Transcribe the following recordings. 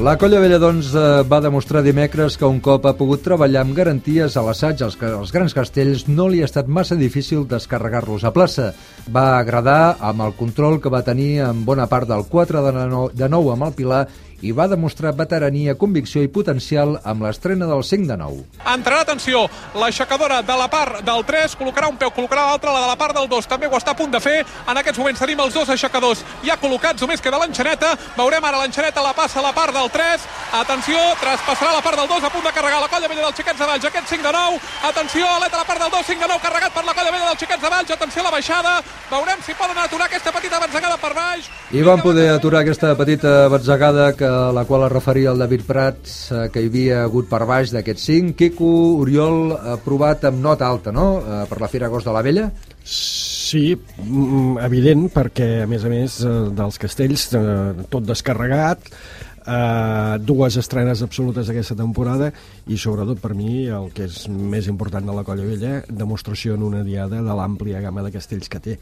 La Colla Vella, doncs, va demostrar dimecres que un cop ha pogut treballar amb garanties a l'assaig als grans castells no li ha estat massa difícil descarregar-los a plaça. Va agradar amb el control que va tenir en bona part del 4 de 9 amb el Pilar i va demostrar veterania, convicció i potencial amb l'estrena del 5 de 9. Entrarà, atenció, l'aixecadora de la part del 3, col·locarà un peu, col·locarà l'altre, la de la part del 2, també ho està a punt de fer. En aquests moments tenim els dos aixecadors ja col·locats, només queda l'enxaneta. Veurem ara l'enxaneta, la passa a la part del 3. Atenció, traspassarà la part del 2, a punt de carregar la Colla Vella dels Xiquets de Valls, aquest 5 de 9. Atenció, aleta a la part del 2, 5 de 9, carregat per la Colla Vella dels Xiquets de Valls. Atenció a la baixada, veurem si poden aturar aquesta petita batzegada per baix. I van poder aturar aquesta petita batzegada la qual es referia al David Prats, que hi havia hagut per baix d'aquests 5. Quico, Oriol, provat amb nota alta, no?, per la Fira Agost de la Vella. Sí, evident, perquè a més dels castells tot descarregat, dues estrenes absolutes d'aquesta temporada i sobretot per mi el que és més important de la Colla Vella, demostració en una diada de l'àmplia gamma de castells que té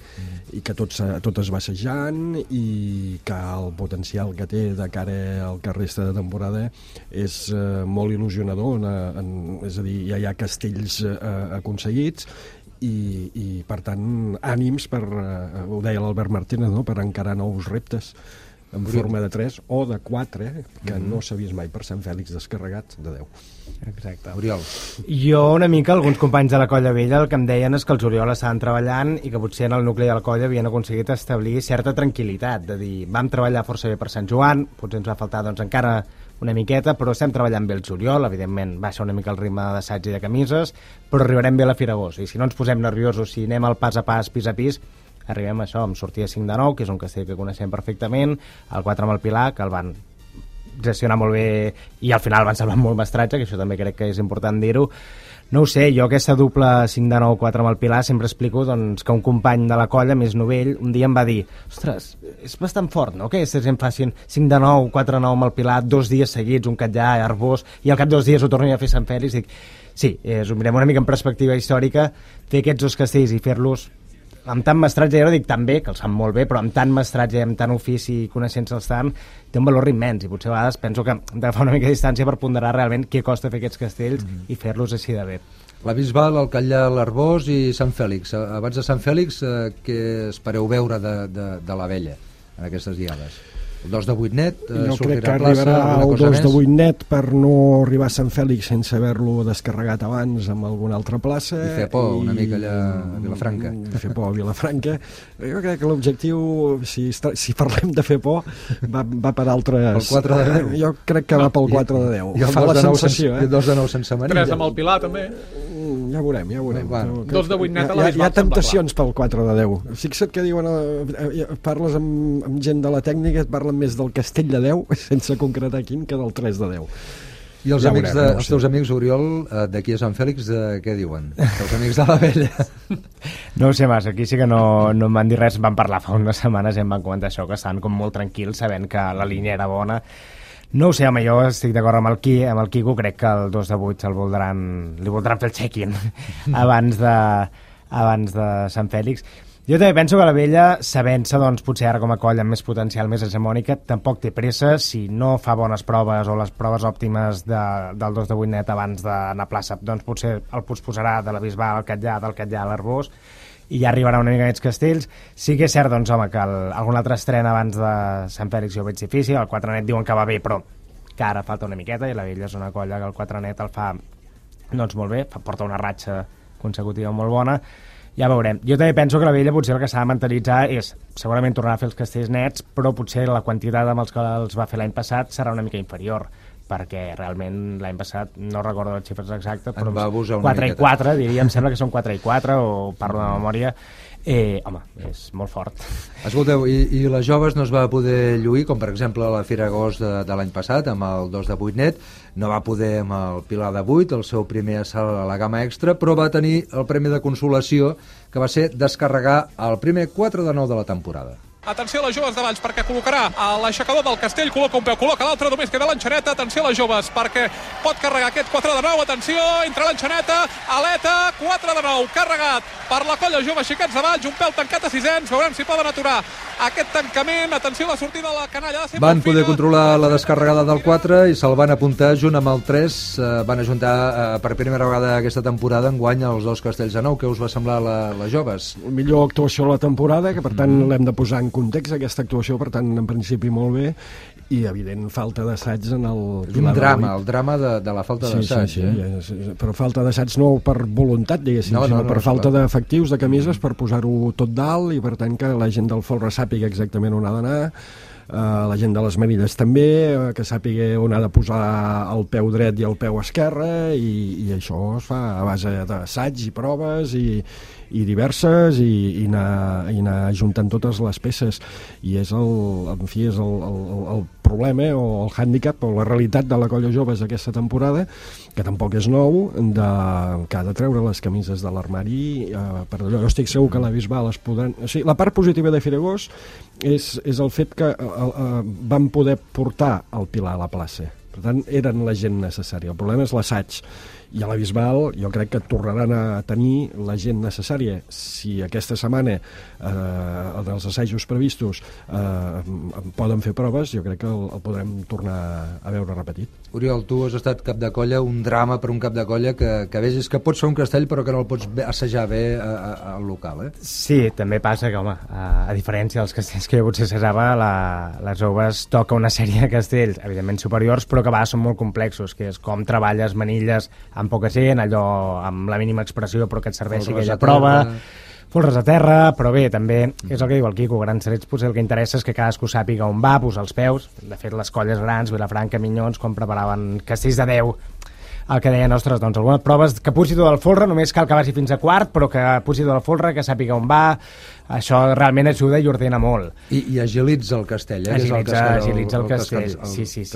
i que tot es va assajant i que el potencial que té de cara al que resta de temporada és molt il·lusionador, és a dir, ja hi ha castells aconseguits i per tant ànims per, ho deia l'Albert Martínez, no?, per encarar nous reptes en forma de 3 o de 4, que no s'ha vist mai per Sant Fèlix descarregat de 10. Exacte. Oriol. Jo una mica, alguns companys de la Colla Vella el que em deien és que els Oriol estaven treballant i que potser en el nucli de la colla havien aconseguit establir certa tranquil·litat, de dir, vam treballar força bé per Sant Joan, potser ens va faltar doncs encara una miqueta, però estem treballant bé el juliol, evidentment baixa una mica el ritme d'assaig i de camises, però arribarem bé a la Fira Agost, i si no ens posem nerviosos, si anem al pas a pas, pis a pis, arribem a això, amb sortida 5 de 9, que és un castell que coneixem perfectament, el 4 amb el Pilar, que el van gestionar molt bé i al final van salvar molt mestratge, que això també crec que és important dir-ho. No ho sé, jo aquesta dupla 5 de 9, 4 amb el Pilar sempre explico doncs, que un company de la colla, més novell, un dia em va dir, ostres, és bastant fort, no?, que aquests gent facin 5 de 9, 4 de 9 amb el Pilar, 2 dies seguits, un Catllà, Arbós, i al cap de 2 dies ho tornin a fer Sant Fèlix. Dic, sí, ho mirem una mica en perspectiva històrica, fer aquests dos castells i fer-los amb tant mestratge, jo no dic tan bé, que els fan molt bé, però amb tant mestratge, amb tant ofici i coneixença-els tant, té un valor immens, i potser a vegades penso que hem d'agafar una mica de distància per ponderar realment què costa fer aquests castells i fer-los així de bé. La Bisbal, el Catllà, l'Arbós i Sant Fèlix. Abans de Sant Fèlix, què espereu veure de la Vella en aquestes diades? El 2 de 8 net jo crec que arribarà el 2 de 8 net per no arribar a Sant Fèlix sense haver-lo descarregat abans amb alguna altra plaça i fer por una mica allà a Vilafranca, fer por a Vilafranca. Jo crec que l'objectiu, si parlem de fer por, va per altres. El 4 de 10 jo crec que va pel 4 de 10 fa la sensació, i el 2 de 9 sense manilla, 3 amb el Pilar també. Ja veurem. 2 de 8 net a la Bisbal. Hi ha temptacions pel 4 de 10. Fixa't que diuen, parles amb gent de la tècnica, et parlen més del castell de 10 sense concretar quin que del 3 de 10. I els els teus amics, Oriol, d'aquí a Sant Fèlix, què diuen? Els amics de la Vella? No ho sé massa, aquí sí que no em van dir res, van parlar fa unes setmanes i em van comentar això, que estaven com molt tranquils sabent que la línia era bona. No ho sé, home, jo estic d'acord amb el Quico, crec que el 2 de 8 li voldran fer el check-in abans de Sant Fèlix. Jo també penso que la Vella, sabent-se, doncs, potser ara com a colla amb més potencial, més hegemònica, tampoc té pressa. Si no fa bones proves o les proves òptimes del 2 de 8 net abans d'anar a plaça, doncs potser el posposarà de la Bisbal al Catllà, del Catllà a l'Arbós, i ja arribarà una mica aquests castells. Sí que és cert, doncs, home, que algun altre estrena abans de Sant Fèlix jo ho veig difícil. El 4 net diuen que va bé, però que ara falta una miqueta, i la Vella és una colla que el 4 net el fa doncs molt bé, porta una ratxa consecutiva molt bona. Ja veurem. Jo també penso que la Vella potser el que s'ha de mentalitzar és, segurament tornarà a fer els castells nets, però potser la quantitat amb els que els va fer l'any passat serà una mica inferior, perquè realment l'any passat, no recordo les xifres exactes, però 4 i 4, diria, em sembla que són 4 i 4, o parlo de memòria. Home, és molt fort. Escolteu, i les joves no es va poder lluir, com per exemple a la Fira Agost de l'any passat, amb el 2 de 8 net, no va poder amb el Pilar de 8, el seu primer assalt a la gamma extra, però va tenir el premi de consolació, que va ser descarregar el primer 4 de 9 de la temporada. Atenció a les joves de Valls, perquè col·locarà l'aixecador del Castell, col·loca un peu, col·loca l'altre, només queda l'enxaneta. Atenció a les joves, perquè pot carregar aquest 4 de 9. Atenció, entra l'enxaneta, aleta, 4 de 9, carregat per la colla jove Xiquets de Valls, un pèl tancat a sisens, veurem si poden aturar aquest tancament. Atenció a la sortida de la canalla. Van poder controlar la descarregada del 4 i se'l van apuntar junt amb el 3. Van ajuntar per primera vegada aquesta temporada enguany els dos castells de nou. Què us va semblar les joves? La millor actuació de la temporada, que per tant l'hem de posar en context, aquesta actuació, per tant, en principi molt bé, i evident falta d'assaig en el... Un drama, el drama de la falta d'assaig. Sí, però falta d'assaig no per voluntat, diguéssim, sinó per falta d'efectius, de camises, per posar-ho tot dalt, i per tant que la gent del folre sàpiga exactament on ha d'anar, la gent de les Marides també, que sàpiga on ha de posar el peu dret i el peu esquerre, i això es fa a base d'assaig i proves i diverses, i anar ajuntant totes les peces, i és el problema o el hàndicap o la realitat de la colla joves aquesta temporada, que tampoc és nou, que ha de treure les camises de l'armari. Per allò, jo estic segur que la Bisbal es podran... O sigui, la part positiva de Firegós és el fet que van poder portar el Pilar a la plaça. Per tant, eren la gent necessària. El problema és l'assaig. I a la Bisbal jo crec que tornaran a tenir la gent necessària. Si aquesta setmana dels assajos previstos poden fer proves, jo crec que el podrem tornar a veure repetit. Oriol, tu has estat cap de colla, un drama per un cap de colla que vegis que pots fer un castell però que no el pots assajar bé al local, Sí, també passa que, home, a diferència dels castells que jo potser assajava, les joves toca una sèrie de castells, evidentment superiors, però que a vegades són molt complexos, que és com treballes manilles amb poca gent, allò amb la mínima expressió però que et serveixi aquella prova, folres a terra, però bé, també és el que diu el Quico, grans serets potser el que interessa és que cadascú sàpiga on va, posar els peus. De fet, les colles grans, Vilafranca, Minyons, quan preparaven castells de 10, el que deien, ostres, doncs algunes proves que pugi tot el folre, només cal que vagi fins a quart, però que pugi tot el folre, que sàpiga on va, això realment ajuda i ordena molt. I agilitza el castell, Agilitza el castell, sí.